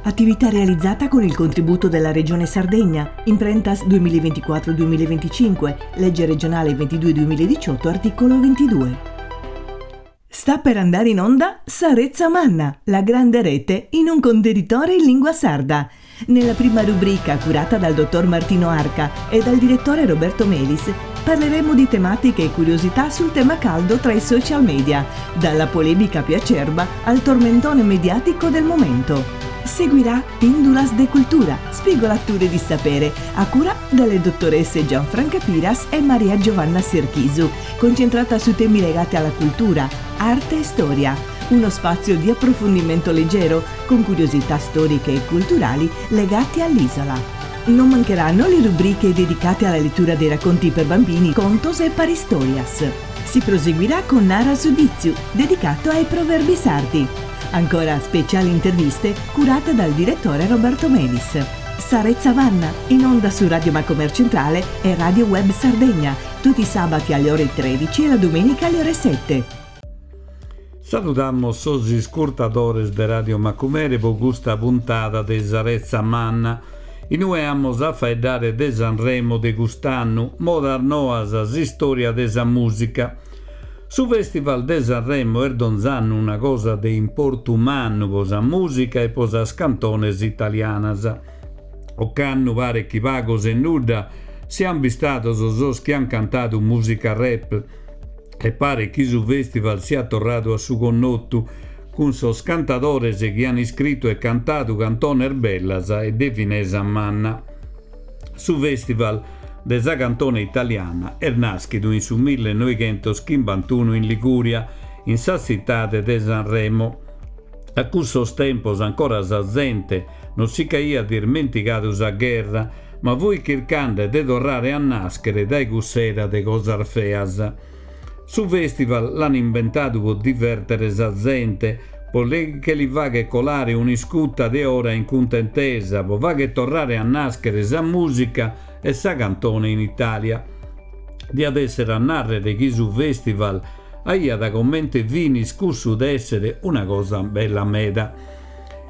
Attività realizzata con il contributo della Regione Sardegna, Imprentas 2024-2025, legge regionale 22-2018, articolo 22. Sta per andare in onda Sa Retza Manna, la grande rete in un contenitore in lingua sarda. Nella prima rubrica, curata dal dottor Martino Arca e dal direttore Roberto Melis, parleremo di tematiche e curiosità sul tema caldo tra i social media, dalla polemica più acerba al tormentone mediatico del momento. Seguirà Pindulas de Cultura, spigolature di sapere, a cura delle dottoresse Gianfranca Piras e Maria Giovanna Serchisu, concentrata su temi legati alla cultura, arte e storia. Uno spazio di approfondimento leggero, con curiosità storiche e culturali legate all'isola. Non mancheranno le rubriche dedicate alla lettura dei racconti per bambini, contos e paristorias. Si proseguirà con Nara su Ditzu, dedicato ai proverbi sardi. Ancora speciali interviste curate dal direttore Roberto Melis. Sa Retza Manna, in onda su Radio Macomer Centrale e Radio Web Sardegna, tutti i sabati alle ore 13 e la domenica alle ore 7. Saludamos sos iscurtadores de Radio Macumere po custa puntada de Sa Retza Manna, in ue amus a faeddare de Sanremo de cust'annu, modas noas, s'istòria de sa mùsica. Su Festival de Sanremo est donz'annu una cosa de importu mannu po sa mùsica e po sas cantones italianas. Ocannu paret chi pagos e nudda siant bistados sos chi ant cantadu mùsica rap e paret chi su festival siat torradu a su connotu cun sos cantadores chi ant iscritu e cantadu cantones bellas e de finesa manna. Su festival de sa cantone italiana est nàschidu in su millenoighentoschimbantuno in Ligùria, in sa tzitade de Sanremo. A cussos tempos ancora sa zente non si ch'aiat ismentigadu sa gherra, ma fuit chircande de torrare a nàschere dae cuss'era de cosas feas. Su festival l'an imbentadu po divèrtere sa zente, po che li fagher colare un'iscuta de ora in cuntentesa, po fagher torrare a nàschere sa mùsica e sa cantone in Itàlia. Diat èssere a nàrrere chi su festival aiat comente finis cussu de èssere una cosa bella meda.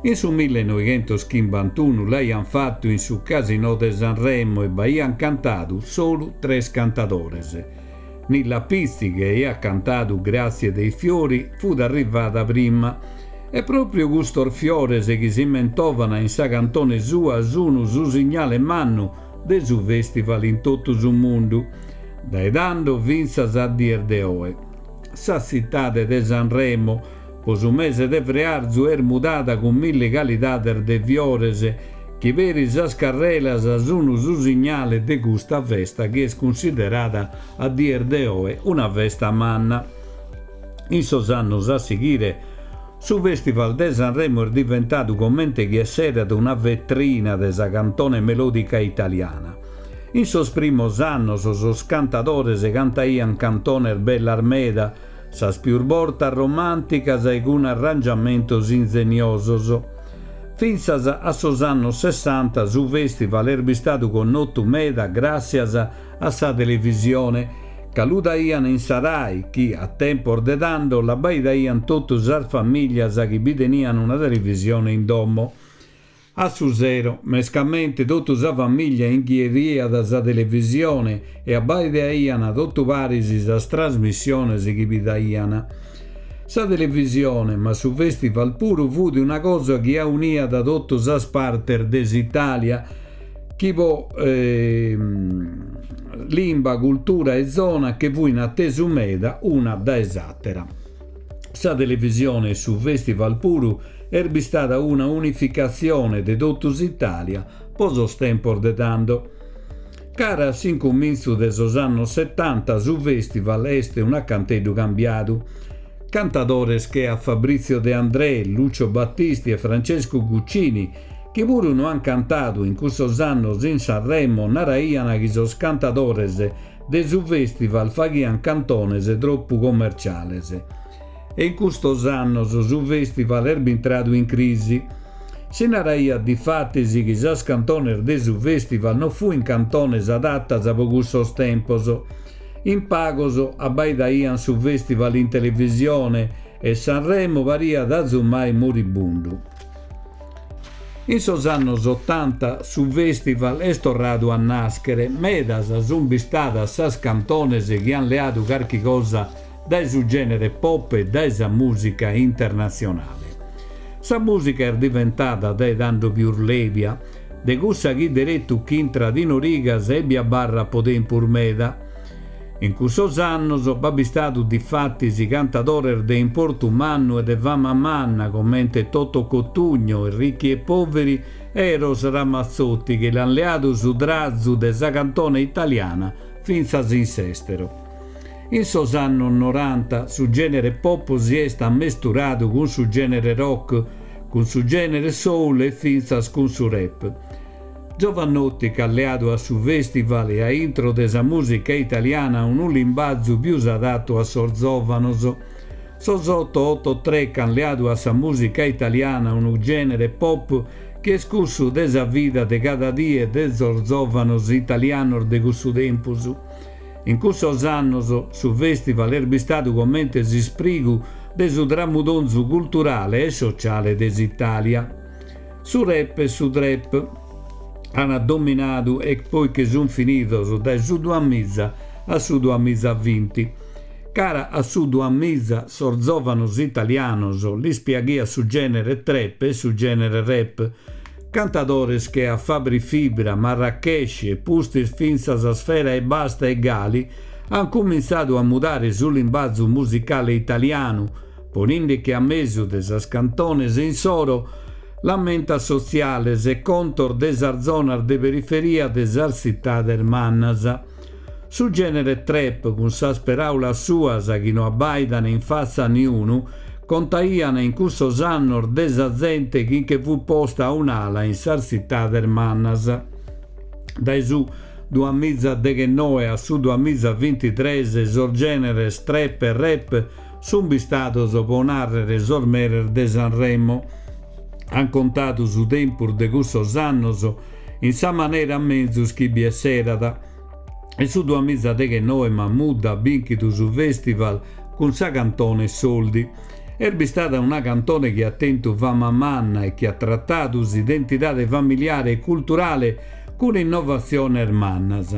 In su millenoighentoschimbantuno l'aiant fatu in su Casinò de Sanremo e b'aiant cantadu solu tres cantadores. Nilla Pizzi, chi aiat cantadu Grazie dei fiori, fut arrivada prima. E pròpriu custos fiores chi si mentovana in sa cantone sua sunu su signale mannu de su festival in totu su mundu, dae tando fintzas a dies de oe. Sa tzitade de Sanremo, Po su mese de frearzu est mudada cun milli calidades de fiores chi peri sas carrelas sunu su signale de custa festa chi est cunsiderada a dies de oe una festa manna. In sos annos a sighire su Festival de Sanremo est diventadu comente chi esseret una vetrina de sa cantone melodica italiana. In sos primos annos sos cantadores cantaiant cantones bellas meda, sas pius bortas romànticas e cun arrangiamentos inzeniosos. Fintzas a sos annos sessanta su festival est bistadu connotu meda gràssias a sa televisione, ca lu daian in sa Rai chi, a tempos de tando, l'abbaidaian totu sas famìlias chi bi tenian una televisione in domo. A su sero, mescamente, totu sa famìllia inghiriat sa televisione e abbaidaian totu paris sas trasmissiones chi bi daian. Sa televisione, ma su festival puru, fut una cosa chi auniat totu sas partes de s'Italia, chi po limba, cultura e zona che fuin atesu meda una dae s'àtera. Sa televisione e su festival puru est bistada una unificatzione de totu s'Itàlia po sos tempos de tando. Cara a s'incumintzu de sos annos setanta su festival est un'acanteddu cambiadu. Cantadores che a Fabrizio De André, Lucio Battisti e Francesco Guccini, chi puru no ant cantadu in cussos annos in Sanremo, naraiant chi sos cantadores de su festival faghiant cantones tropu commerciales. E in custos annos su festival est bintradu in crisi. Si naraiat difatis chi sas cantones de su festival no fuint cantones adatas po cussos tempos. In pagos abbaidaiant su festival in televisione e Sanremo pariat azumai moribundu. In sos annos otanta su festival est torradu a nàschere, medas sunt bistadas sas cantones chi ant leadu carchi cosa dae su gènere pop e dae sa mùsica internatzionale. Sa mùsica est diventada dae tando pius lèbia, de cussa chi deretu ch'intrat in origas e bi abarrat po tempus meda. In cussos annos b'at bistadu difatis cantadores de importu mannu e de fama manna comente Toto Cutugno, Ricchi e Poveri e Eros Ramazzotti chi l'ant leadu su trazu de sa cantone italiana fintzas in s'èstero. In sos annos noranta su gènere pop si est ammesturadu cun su gènere rock, cun su gènere soul e fintzas cun su rap. Jovanotti ch'at leadu a su festival e a intro de sa mùsica italiana unu limbazu pius adatu a sos zòvanos. Sos 883 ch'an leadu a sa mùsica italiana unu gènere pop chi est cussu de sa vida de cada die de sos zòvanos italianos de cussu tempus. In cussos annos su festival est bistadu comente s'isprigu de su tramudonzu culturale e sociale de s'Itàlia. Su rap e su trap an dominadu e poi che sun finidos dae su duamiza a su duamizavinti. Cara a su duamiza sos zòvanos italianos lis piaghiat su gènere trap e su gènere rap. Cantadores che a Fabri Fibra, Marracash e pustis fintzas Sfera Ebbasta e Ghali an cumintzadu a mudare su limbazu musicale italianu, Poninde-che a mesu de sas cantones insoro lamentas sotziales e contos de sas zonas de periferia de sas tzitades mannas. Su gènere trap, cun sas peràulas suas chi no abbàidan in fatza a niunu, contaian in cussos annos de sa zente chi nche fut posta a un'ala in sas tzitades mannas. Dae su duamizadeghennoe a su duamizabintitres sos gèneres trap e rap Sunt bistados po nàrrere sos meres de Sanremo. An contadu su tempus de cussos annos in sa manera menzus chi bi esserat. In su duamizadeghennoe Mahmood at bìnchidu su festival cun sa cantone Soldi. Est bistada una cantone chi at tentu fama manna e chi at tratadu s'identidade familiare e culturale cun innovatziones mannas.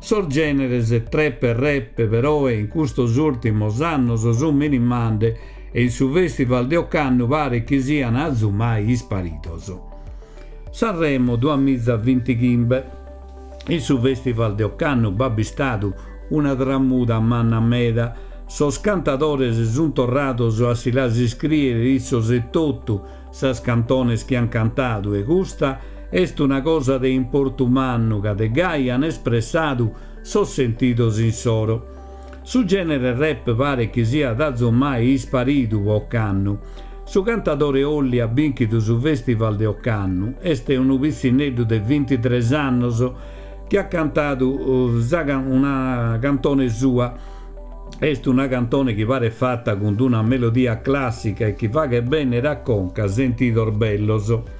Sos gèneres trap e rap peroe in custos ùrtimos annos sunt minimande e in su festival de ocannu paret chi sian azumai isparidos. Sanremo duamizavintighimbe. In su festival de ocannu b'at bistadu una tramuda manna meda, sos cantadores sunt torrados a si las iscrìere issos etotu sas cantones chi an cantadu e custa est una cosa de importu mannu ca de gai an espressadu sos sentidos insoro. Su gènere rap paret chi siat azumai isparidu po ocannu. Su cantadore Olly at bìnchidu su festival de ocannu, est unu pitzinneddu de bintitres annos chi at cantadu una cantone sua. Est una cantone chi paret fata cun d'una melodia clàssica e chi faghet bènnere a conca sentidos bellos.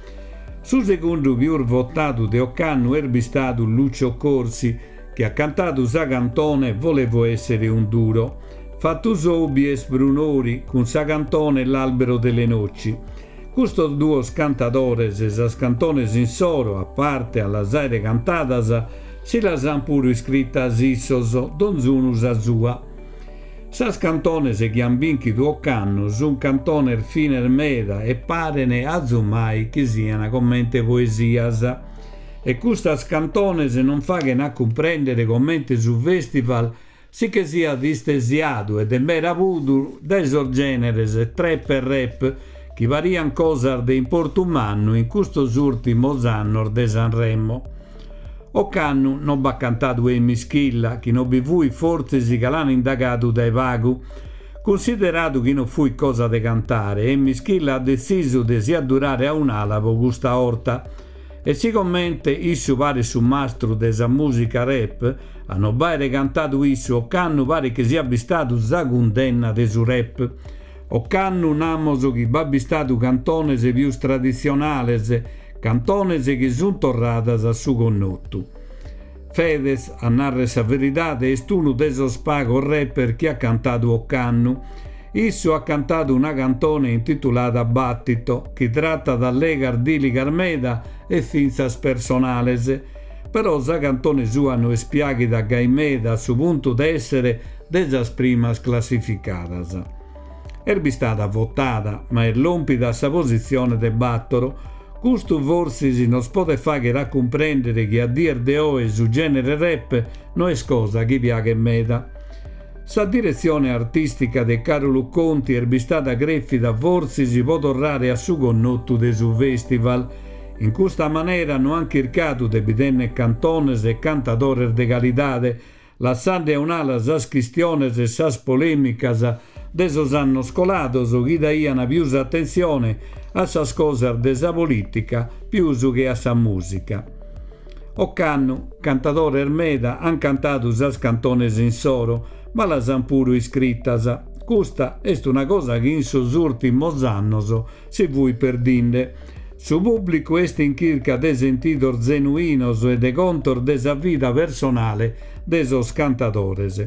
Su segundu pius votadu de ocannu est bistadu Lucio Corsi, chi at cantadu sa cantone Volevo essere un duro. Fatu sou bi est Brunori cun sa cantone L'albero delle noci. Custos duos cantadores sas cantones insoro, a parte a las àere cantadas, si las an puru iscritas issos, donzunu sa sua. Sas cantones chi an bìnchidu ocannu sun cantones fines meda e paren azumai chi sian comente poesias. E custas cantones non faghen a cumprèndere comente su festival si che siat istesiadu e de meda puru dae sos gèneres trap e rap chi parian cosas de importu mannu in custos ùrtimos annos de Sanremo. Ocannu non b'at cantadu Emis Killa, chi non bi fuit fortzis ca l'an indagadu dae pagu. Cunsideradu chi non fuit cosa de cantare, Emis Killa at detzisu de si addurare a un'ala po custa 'orta. E sigomente issu paret su mastru de sa mùsica rap, a no b'àere cantadu issu ocannu paret chi siat bistadu sa cundenna de su rap. Ocannu namos chi b'at bistadu cantones pius traditzionales, cantones chi sunt torradas a su connotu. Fedez, a narrer sa veridade, est unu de sos pagos rapper chi at cantadu ocannu. Issu at cantadu una cantone intitulada Battito, chi tratat allegas dìligas meda e fintzas personales. Però sa cantone sua no est piàghida gai meda a su puntu de èssere de sas primas classificadas. Est bistada votada, ma est lòmpida a sa positzione de bàtoro. Custu fortzis nos podet fàghere a cumprèndere chi a dies de oe su gènere rap no est cosa chi piaghet meda. Sa diretzione artìstica de Càrulu Conti est bistada crèfida fortzis pro torrare a su connotu de su fèstival. In custa manera no ant chircadu de bi tènnere cantones e cantadores de calidade, lassande a un'ala sas chistiones e sas polèmicas de sos annos colados chi daiant pius atentzione a sas cosas de sa polìtica pius che a sa mùsica. Ocannu, cantadores meda ant cantadu sas cantones insoro, ma las ant puru iscritas. Custa est una cosa chi in sos ùrtimos annos si fuit perdinde. Su pùblicu est in chirca de sentidos zenuinos e de contos de sa vida personale de sos cantadores.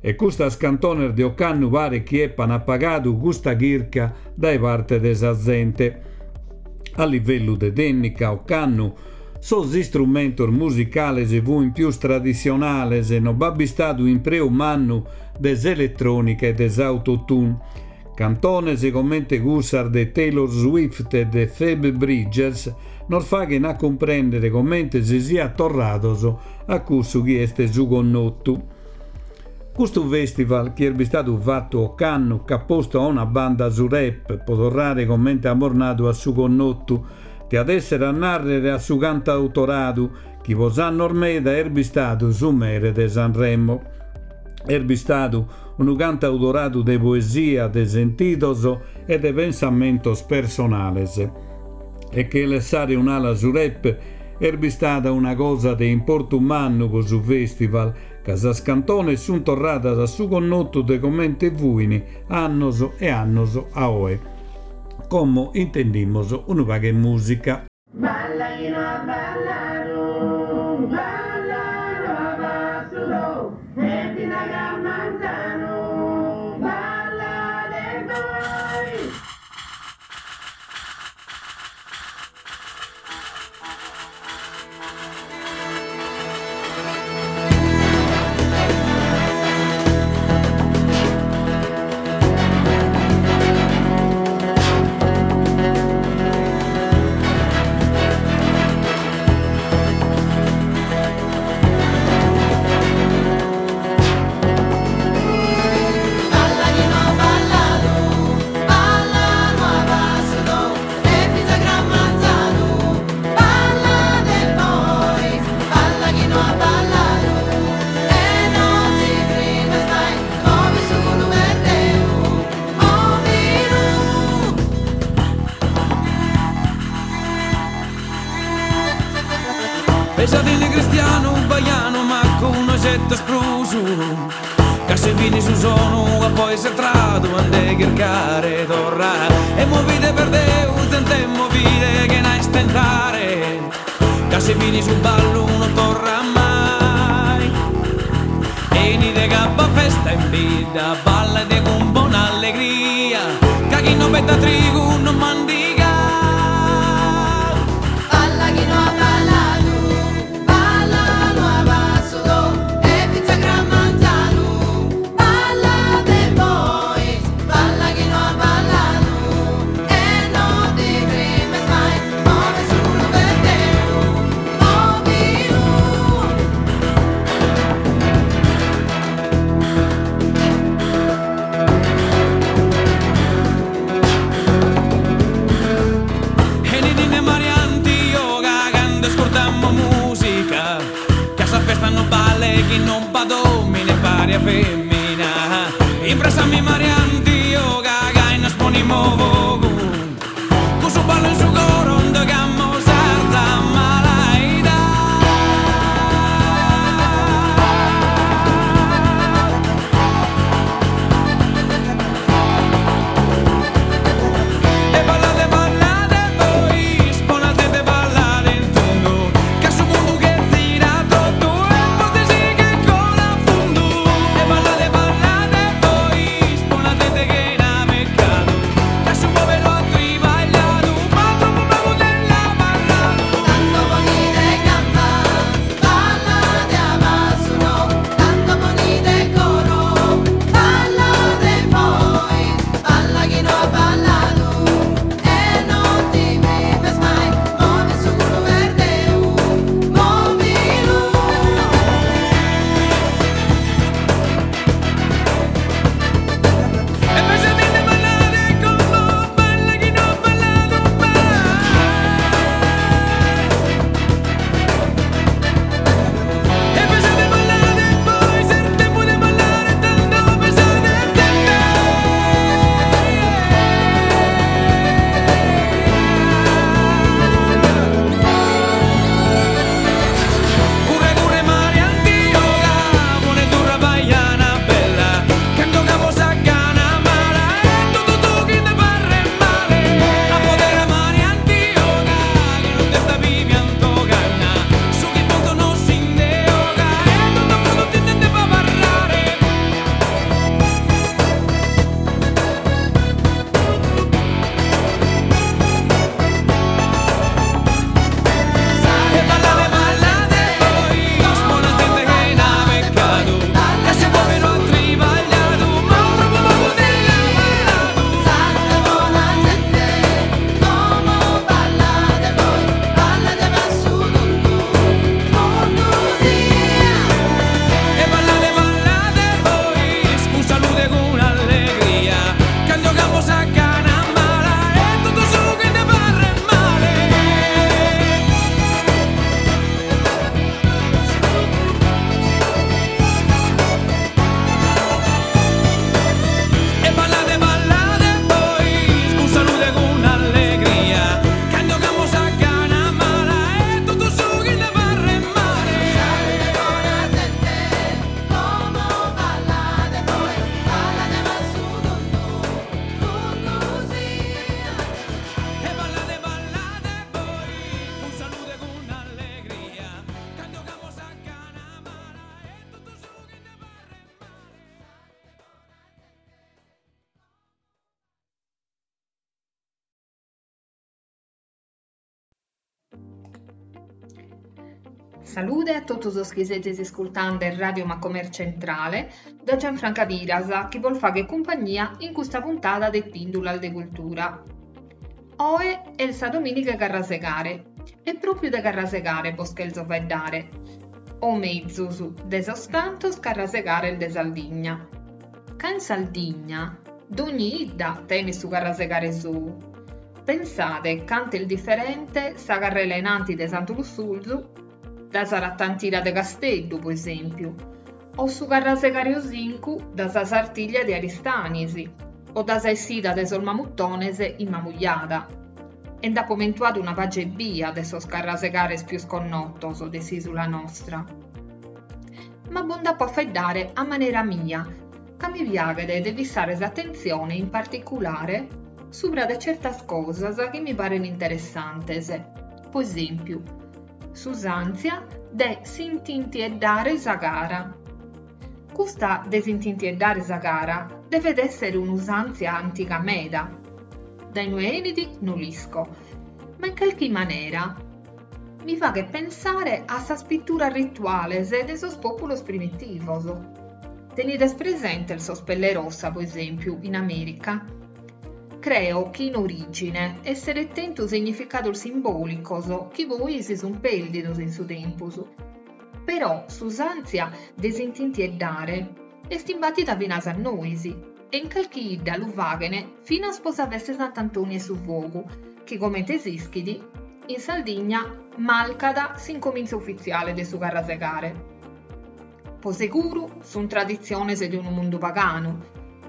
E custas cantones de ocannu paret chi epan apagadu custa chirca dae parte de sa zente. A livellu de tènnica, ocannu sos istrumentos musicales fuin pius traditzionales, no b'at bistadu impreu mannu de s'eletrònica e de s'autotune. Cantones comente cussas de Taylor Swift e de Phoebe Bridgers nos faghen a cumprèndere comente si siat torrados a cussu chi est su connotu. Custu festival, chi est bistadu fatu ocannu, ch'at postu a una banda su rap, pro torrare comente amus nadu a su connotu, diat èssere a nàrrere a su cantautoradu, chi pro annos meda est bistadu su mere de Sanremo. Est bistadu unu cantautoradu de poesia, de sentidos e de pensamentos personales. E che lessare un'ala su rap est bistada una cosa de importu mannu pro su festival, ca sas cantones sunt torradas a su connotu de comente fuin annos e annos a oe. Como intendimos unu pagu 'e mùsica. Balla chi no at balladu, balla no at passudu, e fin'a cras manzanu, ballade bois. Balla chi no at balladu, balla no at passudu, e fintz'a cras manzanu, ballade bois, balla chi no at balladu, e no ti frimes mai, move su culu perdeu, movilu. Pesadinde cristianu baianu ma cun ogetos prus Ca si fini su sonu a poi s'entradu a nde chircare torra E movide per Deus zente movide chena istentare Ca si fini su ballu no torra mai 'Enide ca b'at festa in bidda ballade cun bona allegria Ca chi no betat trigu no mandigat. Balla chi no at balladu, balla no at passudu, e fintz'a cras manzanu, ballade bois, balla chi no at balladu, e no ti frimes mai, move su culu perdeu, movilu. Enidinde Mariantio ca cando ascurtamos musica Ca sa festa no balet chi non b'at omine pari a femina Impressami Mariantio ca gai nos ponimos fogu Cun su ballu in su coro nd'ogamos s'arza malaida. E ballade ballade bois, bona zente ballade in tundu, ca su mundu che zirat totu e fortzis si che colat a fundu. E ballade ballade bois, bona zente chena Salude a totu sos chi sezis iscurtande Radio Macomer Centrale da Gianfranca Piras chi bos faghet cumpagnia in custa puntada de Pìndulas de Cultura. Oe est sa domìniga 'e Carrasegare e pròpiu de Carrasegare bos chelzo faeddare, o mezus, de sos tantos carrasegares de Sardigna. Ca in Sardigna dogni 'idda tenet su carrasegare sou. Pensade cantu est diferente sa carrela 'e nanti de Santu Lussurzu da sa ratantira de Casteddu, po esèmpiu, o su carrasegare osincu da sa Sartiglia de Aristanis, o da sa essida de sos Mamuthones in Mamujada. E nd'apo mentuadu una pàgia ebbia de sos carrasegares pius connotos de s'ìsula nostra. Ma bo nd'apo a faeddare a manera mia, ca mi piaghet de fissare s'atentzione in particulare subra de certas cosas chi mi paren interessantes, po esèmpiu, s'usàntzia de s'intintieddare sa cara. Custa de s'intintieddare sa cara devet èssere un'usàntzia antiga meda. Dae inue 'enit no l'isco, ma in calchi manera mi faghet pensare a sas pituras rituales de sos pòpulos primitivos. Tenides presentes sos pellerossa, po esèmpiu, in Amèrica? Creo chi in orìgine esseret tentu significados simbòlicos chi poi si sunt pèrdidos in su tempus. Però s'usàntzia de s'intintieddare est imbàtida finas a nois e in calchi 'idda lu faghen finas po sa festa 'e Sant'Antoni 'e su Fogu, chi comente s'ischit, in Sardigna marcat s'incomintzu ufitziale de su Carrasegare. Po seguru sunt traditziones de unu mundu paganu,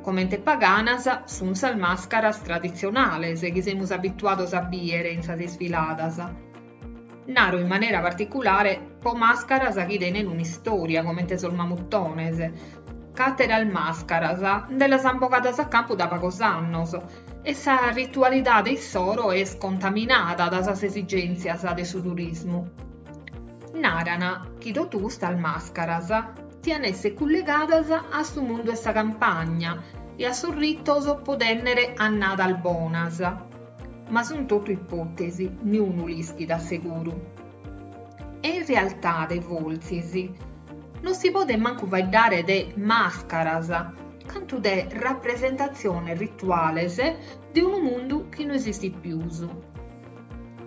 comente paganas sunt sas màscaras traditzionales chi semus abituados a bìere in sas isfiladas. Naro in manera particulare po màscaras chi tenen un'istòria comente sos mamuthones, ca àteras màscaras nde las an bogadas a campu da pagos annos e sa ritualidade issoro est contaminada da sas esigèntzias de su turismu. Naran chi totu custas màscaras tian esser cullegadas a su mundu 'e sa campagna e a sos ritos po tènnere annadas bonas. Ma sun totu ipòtesi, niunu l'ischit a seguru. E in realtade, fortzis, non si podet mancu faeddare de màscaras, cantu de rapresentatziones rituales de unu mundu chi no esistit pius.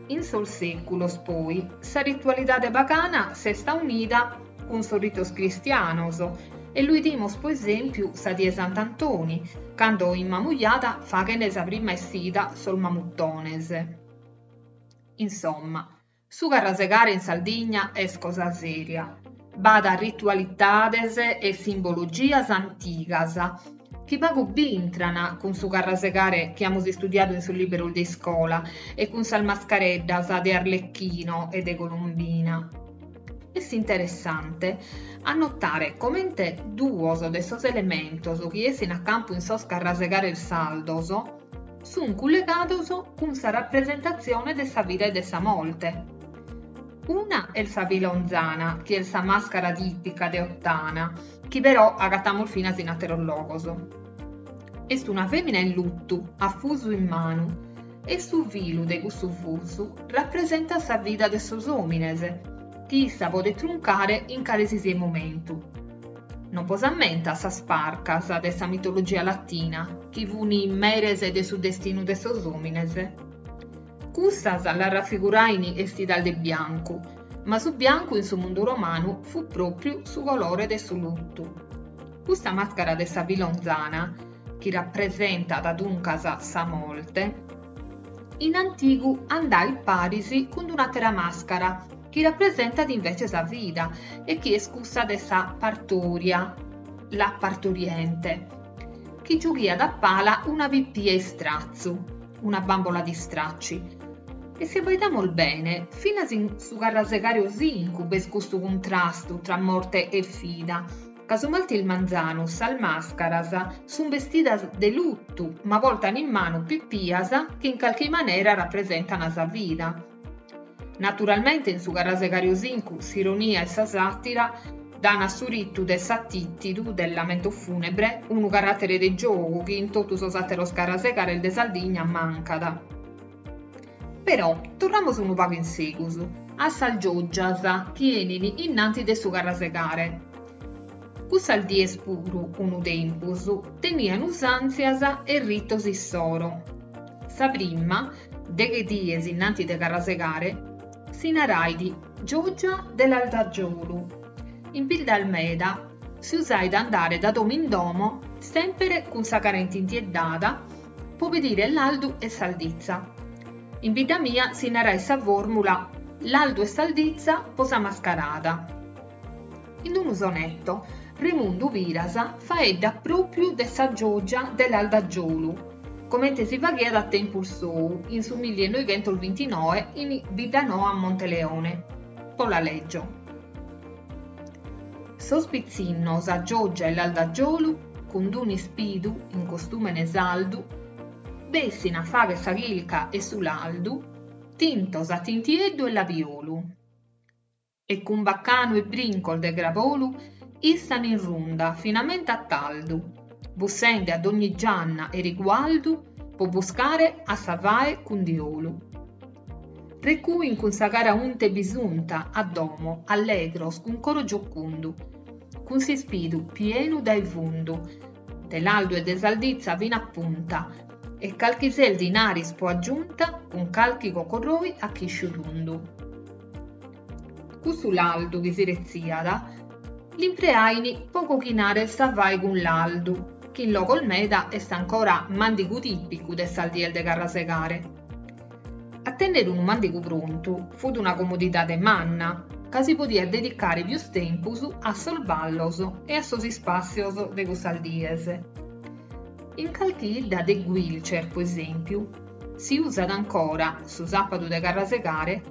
In sos sèculos, poi, sa ritualidade pagana s'est aunida cun sos ritos cristianos e lu 'idimos, po esèmpiu, sa die 'e Sant'Antoni, cando in Mamujada faghen sa prima essida sos mamuthones. Insomma, su carrasegare in Sardigna est cosa sèria. B'at ritualidades e simbologias antigas chi pagu b'intran cun su carrasegare chi amus istudiadu in sos lìberos de iscola e cun sas mascareddas de Arlecchino e de Colombina. Est interessante a notare comente duos de sos elementos chi essin a campu in sos carrasegares sardos sunt cullegados cun sa rapresentatzione de sa vida e de sa morte. Una est sa filonzana, chi est sa màscara tìpica de Ottana, chi però agatamus finas in àteros logos. Est una fèmina in lutu, a fusu in manu, e su filu de cussu fusu rapresentat sa vida de sos òmines, chi issa podet truncare in cale si siat momentu. Non bos ammentat sas Parcas de sa mitologia latina, chi fun meres de su destinu de sos òmines? Cussas las rafigurain estidas de biancu, ma su biancu in su mundu romanu fut pròpriu su colore de su lutu. Custa màscara de sa filonzana, chi rapresentat duncas sa morte, in antigu andait paris cun un'àtera màscara chi rapresentat invece sa vida e chi est cussa de sa partoria, la partoriente, chi giughiat a pala una pipia 'e istratzu, una bambola di stracci. E si abbaidamus bene, finas in su carrasegare osincu b'est custu cuntrastu tra morte e vida, ca su martis manzanu sas màscaras sunt bestidas de lutu ma portan in manu pipias chi in calchi manera rapresentan sa vida. Naturalmente in su carrasegare osincu s'ironia e sa sàtira dan a su ritu de s'atìtidu del lamento funebre unu caràtere de giogu chi in totu sos àteros carrasegares de Sardigna mancat. Però torramus unu pagu in segus. a sas gioggias chi 'enin innanti de su carrasegare. Cussas dies puru, unu tempus, tenian usàntzias e ritos issoro. Sa prima, deghe dies innanti de carrasegare, si narait Gioggia de Lardagiolu. In biddas meda si usait andare da domo in domo, semper cun sa cara intintieddada, po pedire laldu e salditza. In bidda mia si narait sa fòrmula laldu e salditza po sa mascarada. In unu sonetto Remundu Piras faeddat pròpiu de sa Gioggia de Lardagiolu, comente si faghiat a tempus sou, in su millinoighentosbintinoe in Biddanoa Monteleone. Bo la lègio. Sos pitzinnos a Gioggia 'e Lardagiolu cun d'un'ispidu in costùmene sardu, bessin a fagher sa chirca 'e su laldu, tintos a tintieddu e labiolu. E cun baccanu e brincos de crabolu istan in runda finamenta a tardu, bussende a dogni gianna 'e rigualdu po buscare a sa fae cun diolu. Recuin cun sa cara unta e bisunta a domo, allegros, cun coro giocundu, cun s'ispidu pienu dae fundu, de laldu e de salditza fin'a punta, e calchi ses dinaris po aggiunta cun calchi cocorroi a chisciu tundu. Cussu laldu chi si retziat l'impreain po coghinare sa fae cun laldu, chi in logos meda est ancora màndigu tìpicu de sas dies de carrasegare. A tènnere unu màndigu prontu fut una comodidade manna, ca si podiat dedicare pius tempus a sos ballos e a sos ispàssios de cussas dies. In calchi 'idda de Guilcer, po esèmpiu, si usat ancora, su sàpadu de carrasegare,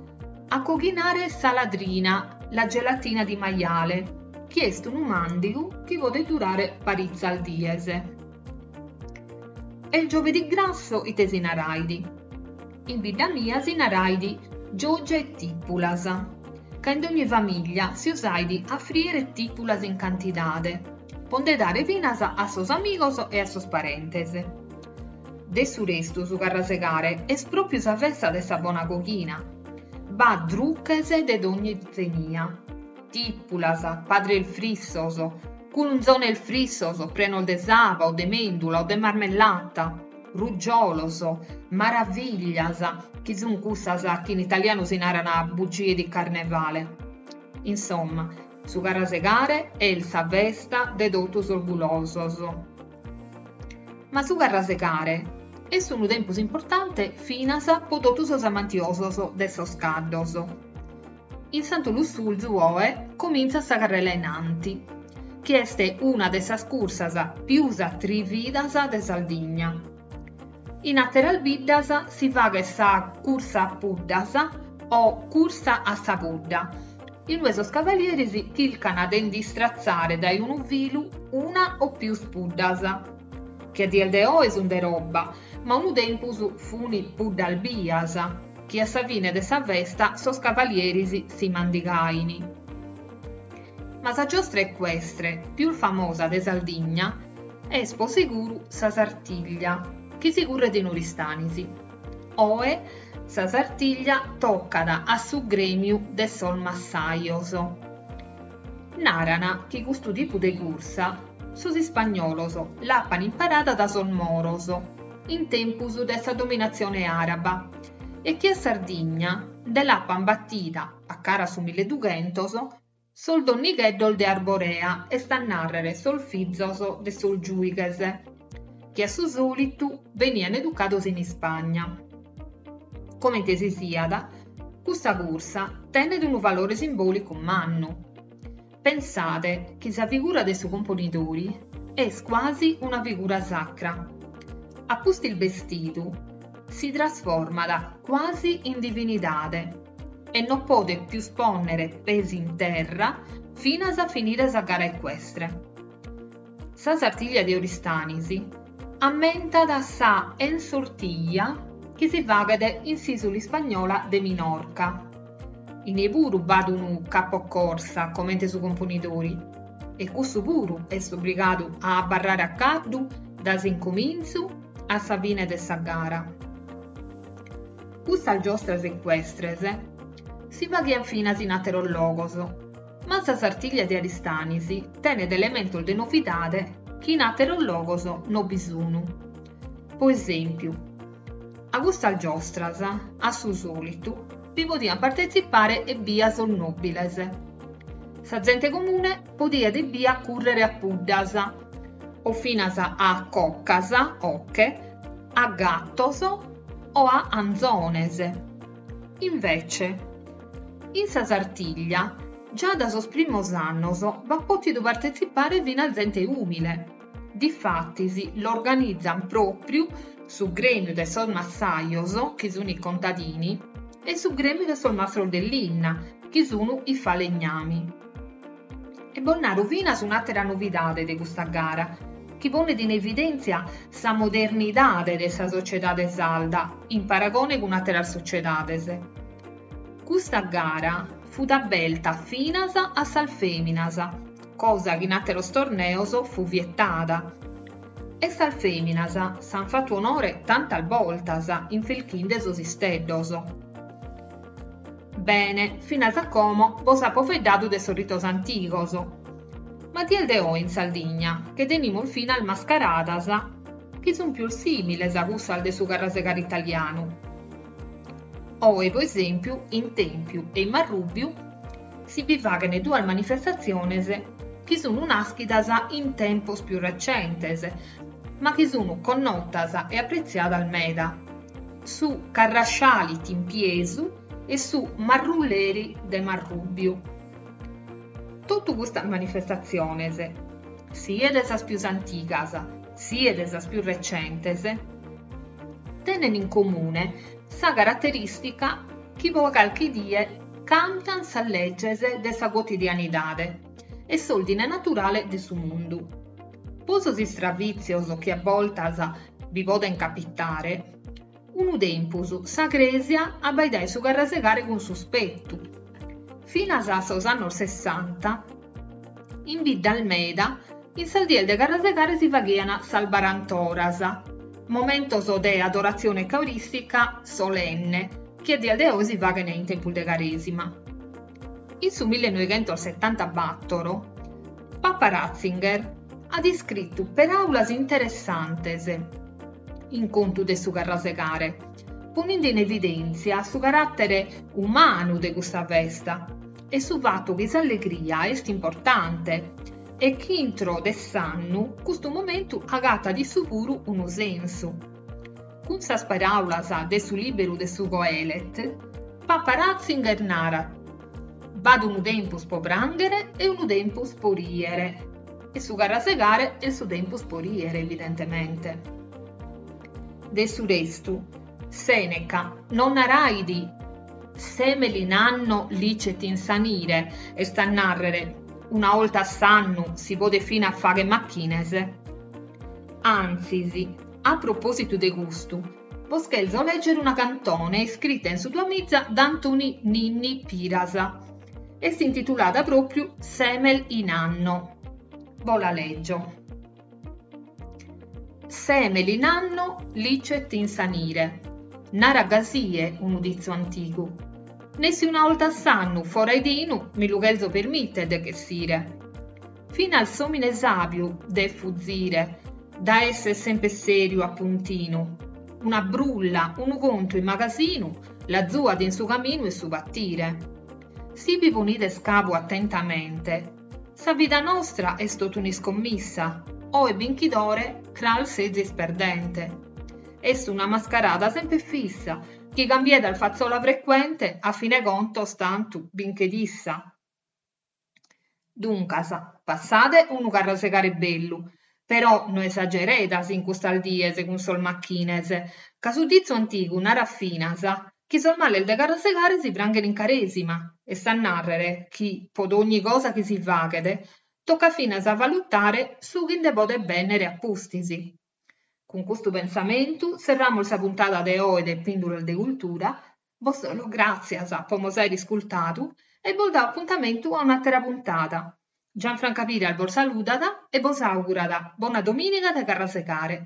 a coghinare sa ladrina, la gelatina di maiale, chi est unu màndigu chi podet durare paritzas dies. E il giovedì grasso ite si narait? In bidda mia si narait Gioggia 'e tìpulas, ca in dogni famìllia si usait a frìere tìpulas in cantidade, po nde dare finas a sos amigos e a sos parentes. De su restu su carrasegare est pròpiu sa festa de sa bona coghina. B'at druches de dogni zenia, tìpulas, padres frissos, culunzones frissos prenos de saba o de mèndula o de marmellata, rugiolos, maraviglias, chi sun cussas chi in italianu si naran bugie di carnevale. Insomma, su carrasegare est sa festa de totu sos gulosos. Ma su carrasegare est unu tempus importante finas po totu sos amantiosos de sos caddos. In Santu Lussurzu oe comintzat sa carrela 'e nanti, chi est una de sas cursas pius atrividas de Sardigna. In àteras biddas si faghet sa cursa a puddas o cursa a sa pudda, in ue sos cavalieris chircan de nd'istratzare dae unu filu una o pius puddas, chi a dies de oe sun de roba, ma unu tempus fun puddas bias, chi a sa fine de sa festa sos cavalieris si mandigain. Ma sa giostra ecuestre pius famosa de Sardigna est po seguru sa Sartiglia, chi si curret in Oristanis. Oe sa Sartiglia tocat a su grèmiu de sos massajos. Naran chi custu tipu de cursa sos ispagnolos l'apan imparada da sos moros in tempus de sa dominatzione àraba e chi a Sardigna nde l'apan batida, a cara a su milledughentos, sos donnigheddos de Arborea, est a nàrrere sos fizos de sos giùighes, chi a su sòlitu benian educados in Ispagna. Comente si siat, custa cursa tenet unu valore simbòlicu mannu. Pensade chi sa figura de su Componidori est cuasi una figura sacra. A pustis bestidu, si trasformat cuasi in divinidade e non podet pius pònnere pes in terra finas a finire sa gara ecuestre. Sa Sartiglia de Oristanis ammentat sa Ensortilla chi si faghet in s'ìsula ispagnola de Minorca. Inie puru b'at unu capocorsa comente su Componidori e cussu puru est obrigadu a abarrare a caddu dae s'incomintzu a sa fine de sa gara. Custas giostras ecuestres. si faghiant finas in àteros logos, ma sa Sartiglia de Aristanis tenet elementos de novidade chi in àteros logos no bi sun. Po esèmpiu, a custas giostras, a su sòlitu, bi podiant partetzipare ebbia sos nòbiles. Sa zente comune podiat ebbia cùrrere a puddas, o finas a cocas, oche, a gatos o a anzones. Invece, in sa Sartiglia, già da sos primos annos b'at pòtidu partetzipare finas zente ùmile. Difatis l'organizant pròpriu su Grèmiu de sos massajos, chi sunt i contadini, e su Grèmiu de sos mastros de linna, chi sunt i falegnami. E bos naro finas un'àtera novidade de custa gara, chi ponet in evidèntzia sa modernidade de sa sociedade sarda in paragone cun àteras sociedades. Custa gara fut aberta finas a sas fèminas, cosa chi in àteros torneos fut vietada. E sas fèminas s'ant fatu onore tantas bortas infelchinde sos isteddos. Bene, finas a como bos apo faeddadu de sos ritos antigos. Ma a dies de oe in Sardigna che tenimus finas mascaradas chi sunt pius sìmiles a cussas de su carrasegare italianu. Oe, pro esèmpiu, in Tèmpiu e in Marrùbiu si bi faghent duas manifestatziones chi sunt nàschidas in tempos pius recentes, ma chi sunt connotas e apretziadas meda, su Carrasciali Timpiesu e su Marrulleri de Marrùbiu. Totu custas manifestatziones, siet sas pius antigas, siet sas pius recentes, tenen in comune sa caraterìstica chi pro calchi die càmbiant sas leges de sa cuotidianidade e s'òrdine naturale de su mundu. Po sos istravìtzios chi a bortas bi podent capitare, Unu tempus sa Crèsia abbaidait su carrasegare cun suspetu. Finas a sos annos sessanta, in biddas meda, in sas dies de carrasegare si faghiant sas barantoras, momentos de adoratzione eucarìstica solenne chi a dies de oe si faghent in tempus de Carèsima. In su millenoighentosetantabatoro, Papa Ratzinger at iscritu peràulas interessantes in contu de su carrasegare, poninde in evidèntzia su caràtere umanu de custa festa e su fatu chi s'allegria est importante e chi intro de s'annu custu momentu agatat issu puru unu sensu. Cun sas paràulas de su lìberu de su Qoèlet, Papa Ratzinger narat, B'at unu tempus po prànghere e unu tempus po rìere. E su carrasegare est su tempus po rìere, evidentemente. De su restu, Sèneca non narait semel in anno licet insanire, est a nàrrere, una 'olta a s'annu si podet finas fàghere machines. Antzis, a propòsitu de custu, bos cherzo lègere una cantone iscrita in su duamiza da Antoni Ninni Piras. Est intitulada pròpriu Semel in anno. Bo la lègio. Semel in anno licet insanire. Narat gasie unu ditzu antigu. Nessi una 'olta a s'annu fora 'e tinu mi lu cherzo permìtere de ch'essire. Finas s'òmine sàbiu devet fuzire dae esser semper sèriu a puntinu. Una brulla, unu contu in magasinu l'azuat in su caminu 'e su patire. Si bi ponides cabu atentamente, sa vida nostra est totu un'iscommissa, oe binchidore, cras sezis perdente. Est una mascarada semper fissa, chi cambiedas fatzola frecuente, a fine contos tantu binchet issa. Duncas, passade unu carrasegare bellu, però no esageredas in custas dies cun sos machines, ca su ditzu antigu narat finas chi sos males de carrasegare si pranghen in Carèsima, est a nàrrere chi, pro dogni cosa chi si faghet, tocat finas a valutare su chi nde podet bènnere a pustis. Cun custu pensamentu serramus sa puntada de oe de Pìndulas de Cultura, Bos torro gràtzias po mos àere iscurtadu e bos dao apuntamentu a un'àtera puntada. Gianfranca Piras bos saludat e bos àugurat bona domìniga de carrasegare.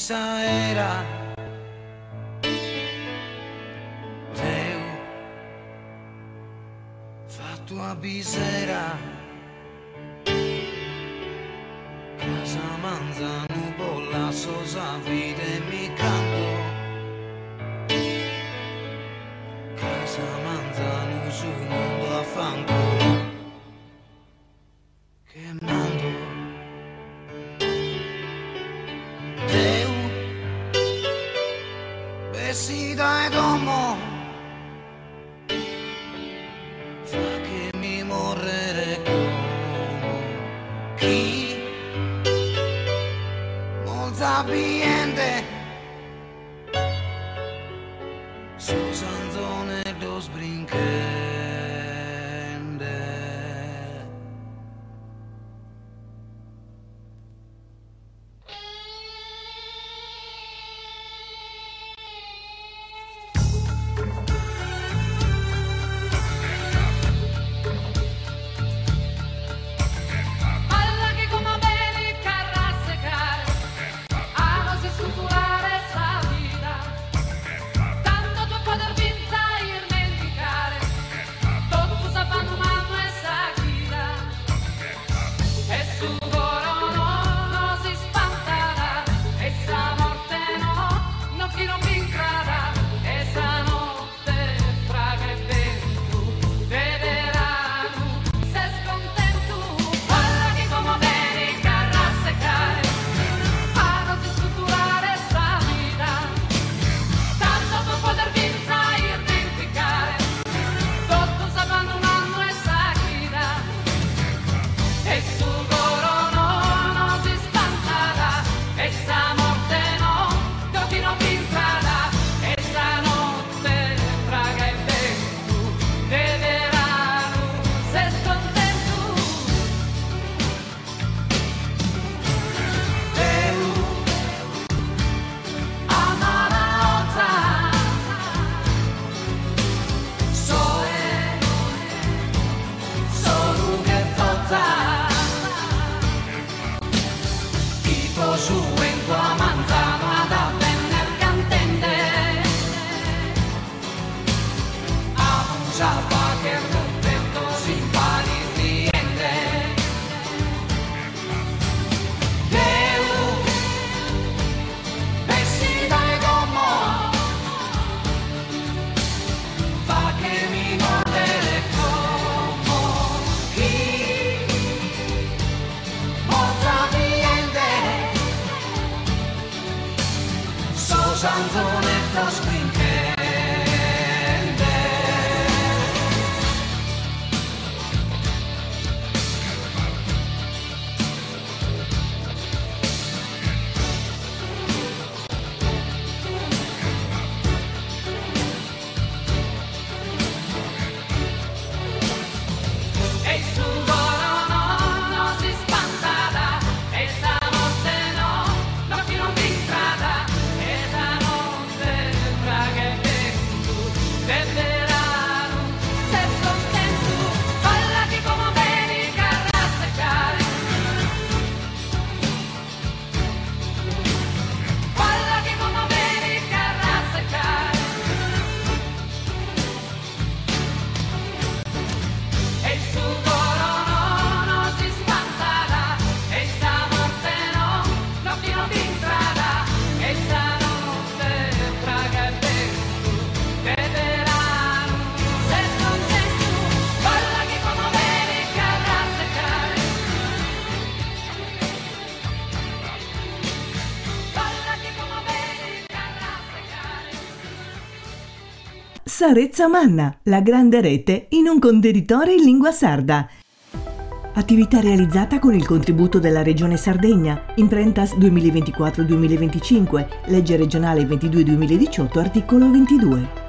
s'aera Deu fattu a bisera Cras a manzanu bos lasso sa vida e mi ch'ando Cras a manzanu su mundu a fanculu Che mando Deu Bessi dae domo Fachemi morrere como Chi Molza biende Sos anzoneddos brinchende. Balla chi como benit carrasecare A nos iscutulare sa vida Tanto tue poder finza irmenticare Totu s'affannu mannu 'e sa chida E su coro no nos ispantat E sa morte no, no chi non b'intrat E sa notte fraga 'e bentu de beranu Ses contentu? Balla chi como benit carrasecare A nos iscutulare sa vida Tanto pro poder finza irmenticare Totu s'affannu mannu 'e sa chida E su coro no nos ispantat E sa morte no, no chi non b'intrat E sa notte fraga 'e bentu de beranu Ses contentu? Deu A mala 'oza Soe Solu che foza Tipo su 'entu a manzanu at a benner cantende Amus a fagher cuntentos in paris riende Deu Bessi dae domo Fachemi morrere como Chi Morza biende Sos anzoneddos brinchende. E su coro no nos ispantat E sa morte no, no chi non b'intrat E sa notte fraga 'e bentu de beranu Ses contentu? Balla chi como benit carrasecare Balla chi como benit carrasecare E su coro no nos ispantat E sa morte no, no chi non b'intrat E sa notte fraga 'e bentu de beranu Ses contentu? Balla chi como benit carrasecare Balla chi como benit carrasecare Sa Retza Manna, la grande rete in un contenitore in lingua sarda. Attività realizzata con il contributo della Regione Sardegna, Imprentas 2024-2025, legge regionale 22-2018, articolo 22.